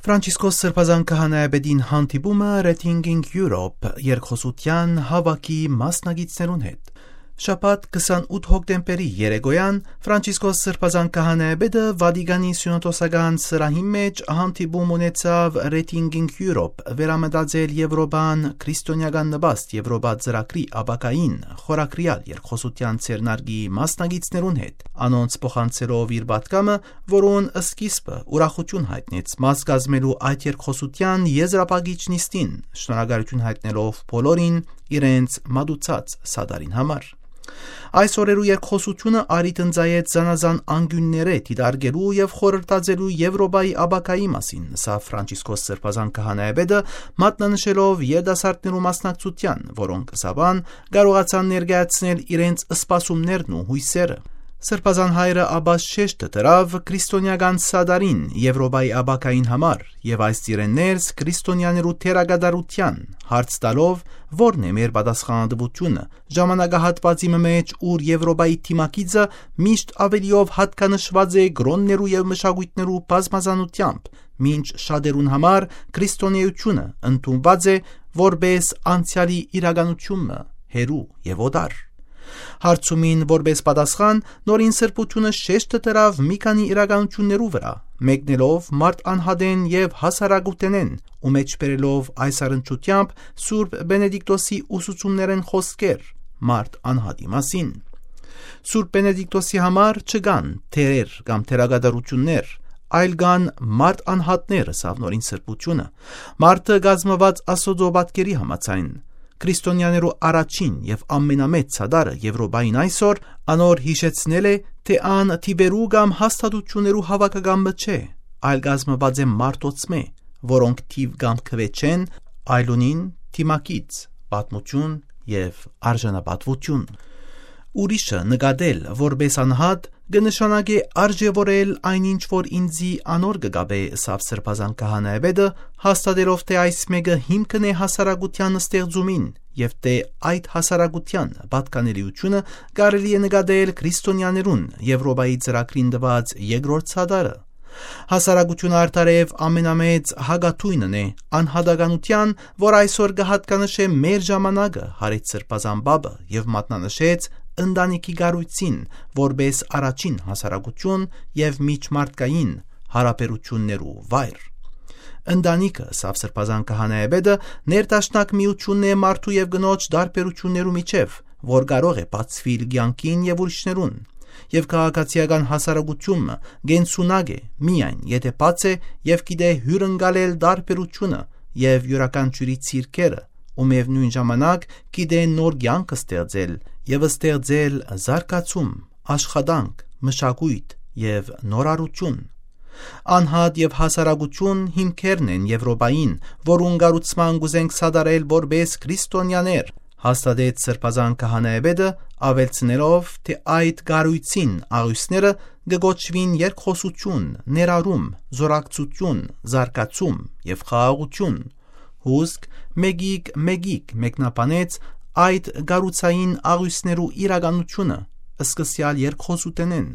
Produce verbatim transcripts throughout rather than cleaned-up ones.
Ֆրանցիսկոս Սրբազան քահանայապետին հանդիպումը Reading in Europe երկխօսութեան հաւաքի մասնակիցներուն հետ։ Շաբաթ, քսանութ հոկտեմբերի երեկոյան, Ֆրանցիսկոս Սրբազան քահանայապետը Վատիկանի սիւնոդոսական սրահին մէջ հանդիպում ունեցաւ Reading in Europe, վերամտածել Եվրոպան, քրիստոնեական նպաստ Եվրոպա ծրագրի ապագային խորագրեալ երկխօսութեան ձեռնարկի մասնակիցներուն հետ, անոնց փոխանցելով իր պատգամը, որուն սկիզբը ուրախութիւն յայտնեց մաս կազմելու այդ երկխօսութեան եզրափակիչ նիստին, շնորհակալութիւն յայտնելով բոլորին իրենց մատուցած սատարին համար։ Այս օրերու երկխօսութիւնը առիթ ընծայեց զանազան անկիւններէ դիտարկելու եւ խորհրդածելու Եվրոպայի ապագայի մասին, ըսաւ Ֆրանցիսկոս Սրբազան քահանայապետը, մատնանշելով երիտասարդներու մասնակցութեան, որոնք, ըսաւ ան, կարողացան ներկայացնել իրենց սպասումներն ու յոյսերը։ Սրբազան հայրը ապա շեշտը դրաւ քրիստոնեական սատարին Եվրոպայի ապագային համար եւ այս ծիրէն ներս քրիստոնեաներու դերակատարութեան, հարց տալով, որն է մեր պատասխանատուութիւնը ժամանակահատուածի մը մէջ, ուր Եվրոպայի դիմագիծը միշտ աւելիով յատկանշուած է կրօններու եւ մշակոյթներու բազմազանութեամբ, մինչ շատերուն համար քրիստոնէութիւնը ընդունուած է որպէս անցեալի իրականութիւն մը, հեռու եւ օտար։ Հարցումին որպէս պատասխան, Նորին Սրբութիւնը շեշտը դրաւ մի քանի իրականութիւններու վրայ, մեկնելով մարդ անհատէն եւ հասարակութենէն ու մէջբերելով այս առնչութեամբ Սուրբ Պենեդիկտոսի ուսուցումներէն խօսքեր մարդ անհատի մասին։ Սուրբ Պենեդիկտոսի համար չկան դերեր կամ դերակատարութիւններ, այլ կան մարդ անհատներ, ըսաւ Նորին Սրբութիւնը։ Մարդը կազմուած Աստուծոյ պատկերի համաձայն, քրիստոնեաներու առաջին եւ ամենամեծ սատարը Եվրոպային այսօր անոր յիշեցնել է, թէ ան թիւերու կամ հաստատութիւններու հաւաքական մը չէ, այլ կազմուած է մարդոցմէ, որոնք թիւ կամ քուէ չեն, այլ ունին դիմագիծ, պատմութիւն եւ արժանապատուութիւն։ Ուրիշը նկատել որպէս անհատ կը նշանակէ արժեւորել այն ինչ որ ինծի անոր կը կապէ, ըսաւ Սրբազան քահանայապետը, հաստատելով թէ այս մէկը հիմքն է հասարակութեան ստեղծումին եւ թէ այդ հասարակութեան պատկանելիութիւնը կարելի է նկատել քրիստոնեաներուն Եվրոպայի ծրագրին տուած երկրորդ սատարը։ Հասարակութիւնը արդարեւ ամենամեծ հակաթոյնն է անհատականութեան, որ այսօր կը յատկանշէ մեր ժամանակը, յարեց Սրբազան պապը եւ մատնանշեց ընտանիքի կառոյցին որպէս առաջին հասարակութիւն եւ միջմարդկային յարաբերութիւններու վայր։ Ընտանիքը, ըսաւ Սրբազան քահանայապետը, ներդաշնակ միութիւնն է մարդու եւ կնոջ տարբերութիւններու միջեւ, որ կարող է բացուիլ կեանքին եւ ուրիշներուն։ Եւ քաղաքացիական հասարակութիւնը կենսունակ է միայն, եթէ բաց է եւ գիտէ հիւրընկալել տարբերութիւնը եւ իւրաքանչիւրի ցիրքերը, ու միեւնոյն ժամանակ գիտէ նոր կեանք ստեղծել եւ ստեղծել զարգացում, աշխատանք, մշակոյթ եւ նորարարութիւն։ Անհատ եւ հասարակութիւն հիմքերն են Եվրոպային, որուն կառուցման կ'ուզենք սատարել որպէս քրիստոնեաներ, հաստատեց Սրբազան քահանայապետը, աւելցնելով, թէ այդ կառոյցին աղիւսները կը կոչուին երկխօսութիւն, ներառում, զօրակցութիւն, զարգացում եւ խաղաղութիւն։ Հուսկ, մեկիկ, մեկիկ մեկնաբանեց այդ կառուցային աղիւսներու իրականութիւնը, սկսեալ երկխօսութենէն,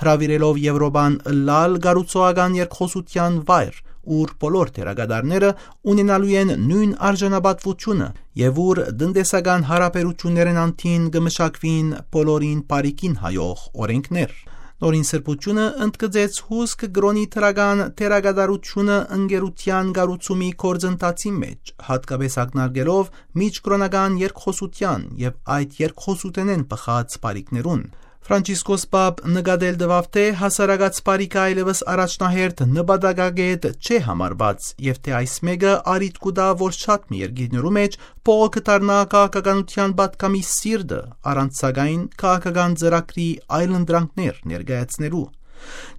հրաւիրելով Եվրոպան ըլլալ կառուցողական երկխօսութեան վայր, ուր բոլոր դերակատարները ունենալու են նոյն արժանապատուութիւնը եւ ուր տնտեսական յարաբերութիւններէն անդին կը մշակուին բոլորին բարիքին հայող օրէնքներ։ Նորին Սրբութիւնը ընդգծեց հուսկ կրօնի դրական դերակատարութիւնը ընկերութեան կառուցումի գործընթացին մէջ, յատկապէս ակնարկելով միջկրօնական երկխօսութեան եւ այդ երկխօսութենէն բխած բարիքներուն։ Ֆրանցիսկոս պապ նկատել տուաւ, թէ հասարակաց բարիքը այլեւս առաջնահերթ նպատակակետ չէ համարուած եւ թէ այս մէկը առիթ կու տայ, որ շատ մը երկիրներու մէջ բողոքը դառնայ քաղաքականութեան պատգամի սիրտը, առանց սակայն քաղաքական ծրագրի այլընտրանքներ ներկայացնելու։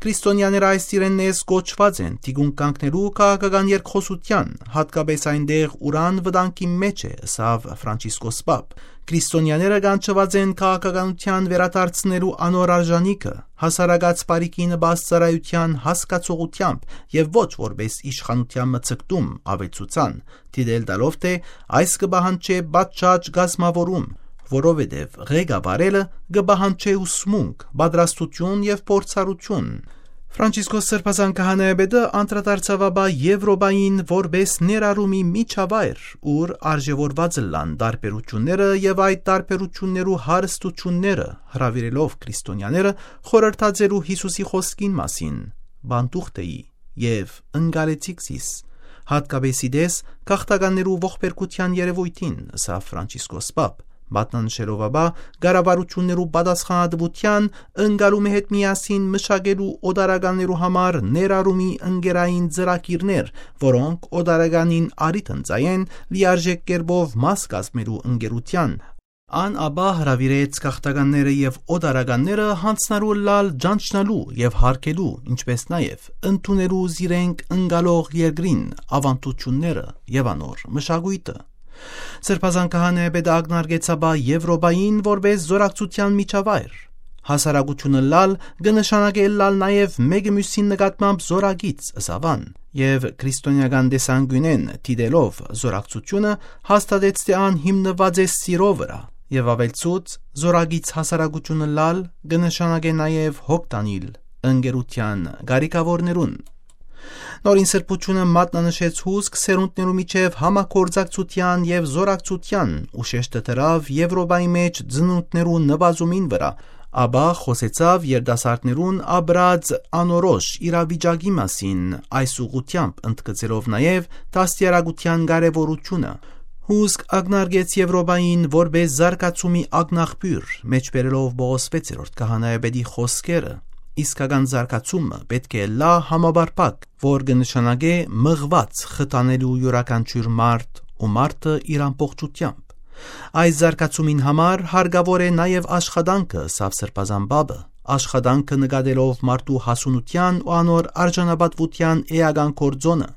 Քրիստոնեաները այս իրեն ներս կոչուած են թիկունք կանգնելու քաղաքական երկխօսութեան, յատկապէս այնտեղ, ուր ան վտանգի մէջ է, ըսաւ Ֆրանցիսկոս պապ։ Քրիստոնեաները կանչուած են քաղաքականութեան վերադարձնելու անոր արժանիքը, հասարակաց բարիքի նպաստ ծառայութեան հասկացողութեամբ եւ ոչ որպէս իշխանութեան մը ձգտում աւելցուցան, դիտել տալով, թէ այս կը պահանջէ պատշաճ կազմաւորում, որովհետեւ ղեկավարելը կը պահանջէ ուսմունք, պատրաստութիւն եւ փորձառութիւն։ Ֆրանցիսկոս Սրբազան Քահանայապետը անդրադարձաւ ապա Եւրոպային որպէս ներառումի միջավայր, ուր արժեւորուած ըլլան տարբերութիւնները եւ այդ տարբերութիւններու հարստութիւնները, հրաւիրելով քրիստոնյաները խորհրդածերու Յիսուսի խօսքին մասին. «Պանդուխտ էի եւ ընկալեցիք զիս, հատկապէս ի տես գաղթականներու ողբերգութեան երեւոյթին», ըսաւ Ֆրանցիսկոս Պապ, մատնանշելով ապա կառավարութիւններու պատասխանատուութեան ընկալումը հետ միասին մշակելու օտարականներու համար ներառումի ընկերային ծրագիրներ, որոնք օտարականին առիթ ընծայեն լիարժեք կերպով մաս կազմելու ընկերութեան։ Ան ապա հրաւիրեց գաղթականները եւ օտարականները յանձնառու ըլլալ ճանչնալու եւ յարգելու, ինչպէս նաեւ ընդունելու զիրենք ընկալող երկրին աւանդութիւնները եւ անոր մշակոյթը։ Սրբազան Քահանայապետը ակնարկեց ապա Եւրոպային որպէս զօրակցութեան միջավայր։ Հասարակութիւնը ըլլալ կը նշանակէ ըլլալ նաեւ մէկը միւսին նկատմամբ զօրակից, ըսաւ ան, եւ քրիստոնեական տեսանկիւնէն դիտելով զօրակցութիւնը, հաստատեց թէ ան հիմնուած է սիրո վրայ, եւ աւելցուց. «Զօրակից հասարակութիւնը ըլլալ կը նշանակէ նաեւ հոգ տանիլ ընկերութեան կարիքաւորներուն»։ Նորին Սրբութիւնը մատնանշեց հուսկ սերունդներու միջեւ համագործակցութեան եւ զօրակցութեան ու շեշտը դրաւ Եւրոպայի մէջ ծնունդներու նուազումին վրայ, ապա խօսեցաւ երիտասարդներուն ապրած անորոշ իրավիճակի մասին, այս ուղղութեամբ ընդգծելով նաեւ դաստիարակութեան կարեւորութիւնը։ Հուսկ ակնարկեց Եւրոպային որպէս զարգացումի ակնաղբիւր, մէջբերելով Պողոս վեցերորդ քահանայապետի խօսքերը. «Իսկական զարգացումը պէտք է ըլլայ համապարփակ, որ կը նշանակէ մղուած խթանելու իւրաքանչիւր մարդ ու մարդը իր ամբողջութեամբ։ Այս զարգացումին համար հարկաւոր է նաեւ աշխատանքը», ըսաւ Սրբազան Պապը, «աշխատանքը նկատելով մարդու հասունութեան ու անոր արժանապատուութեան էական գործոնը։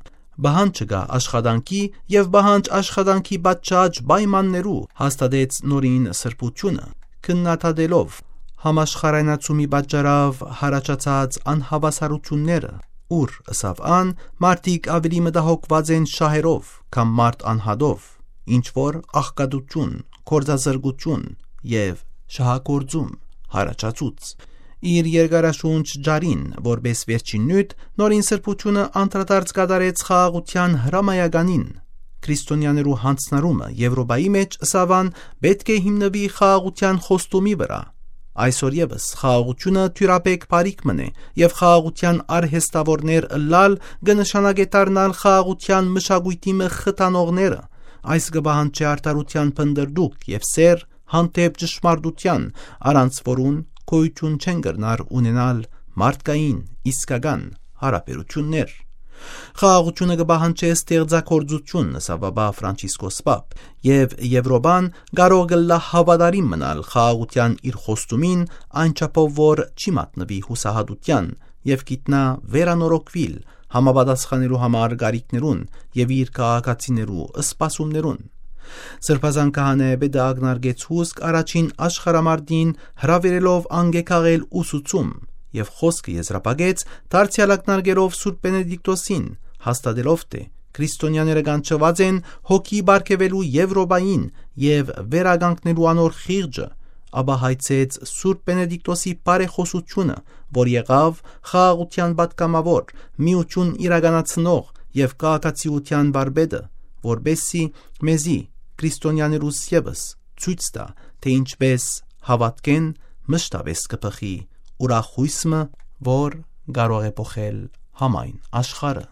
Պահանջը կայ աշխատանքի եւ պահանջ աշխատանքի պատշաճ պայմաններու», հաստատեց Նորին Սրբութիւնը, քննադատելով համաշխարհայնացումի պատճառով յառաջացած անհաւասարութիւնները, ուր, ըսաւ ան, մարդիկ աւելի մտահոգուած են շահերով, քան մարդ անհատով, ինչ որ աղքատութիւն, գործազրկութիւն եւ շահագործում յառաջացուց։ Իր երկարաշունչ ջարին, որպէս վերջին նիւթ, Նորին Սրբութիւնը անդրադարձ կատարեց խաղաղութեան հրամայականին։ Քրիստոնեաներու յանձնառումը Եւրոպայի մէջ, ըսաւ ան, պէտք է հիմնուի խաղաղութեան խոստումի վրայ։ Այսօր եւս խաղաղութիւնը դիւրաբեկ բարիք մըն է եւ խաղաղութեան արհեստաւորներ ըլլալ կը նշանակէ դառնալ խաղաղութեան մշակոյթի մը խթանողները։ Այս կը պահանջէ արդարութեան փնտռտուք եւ սէր հանդէպ ճշմարտութեան, առանց որուն գոյութիւն չեն կրնար ունենալ մարդկային, իսկական յարաբերութիւններ։ Խաղաղութիւնը կը պահանջէ ստեղծագործութիւն, ըսաւ ապա Ֆրանցիսկոս Պապ, եւ Եւրոպան կարող կ'ըլլայ հաւատարիմ մնալ խաղաղութեան իր խոստումին, այն չափով որ չի մատնուի յուսահատութեան եւ գիտնայ վերանորոգուիլ, համապատասխանելու համար կարիքներուն եւ իր քաղաքացիներու սպասումներուն։ Սրբազան քահանայապետը ակնարկեց հուսկ առաջին աշխարհամարտին, հրաւիրելով անկեքաղել ուսուցում, եւ խօսքը եզրափակեց դարձեալ ակնարկելով Սուրբ Պենեդիկտոսին, հաստատելով թէ քրիստոնեաները կանչուած են հոգի պարգեւելու Եվրոպային եւ վերականգնելու անոր խիղճը, ապա հայցեց Սուրբ Պենեդիկտոսի բարեխօսութիւնը, որ եղաւ խաղաղութեան պատգամաւոր, միութիւն իրականացնող եւ քաղաքացիութեան վարպետը, որպեսզի մեզի, քրիստոնեաներուս եւս, ցոյց տայ, թէ ինչպէս հաւատքէն մշտապէս կը բխի ուրախ յոյս մը, որ կարող է փոխել համայն աշխարհը։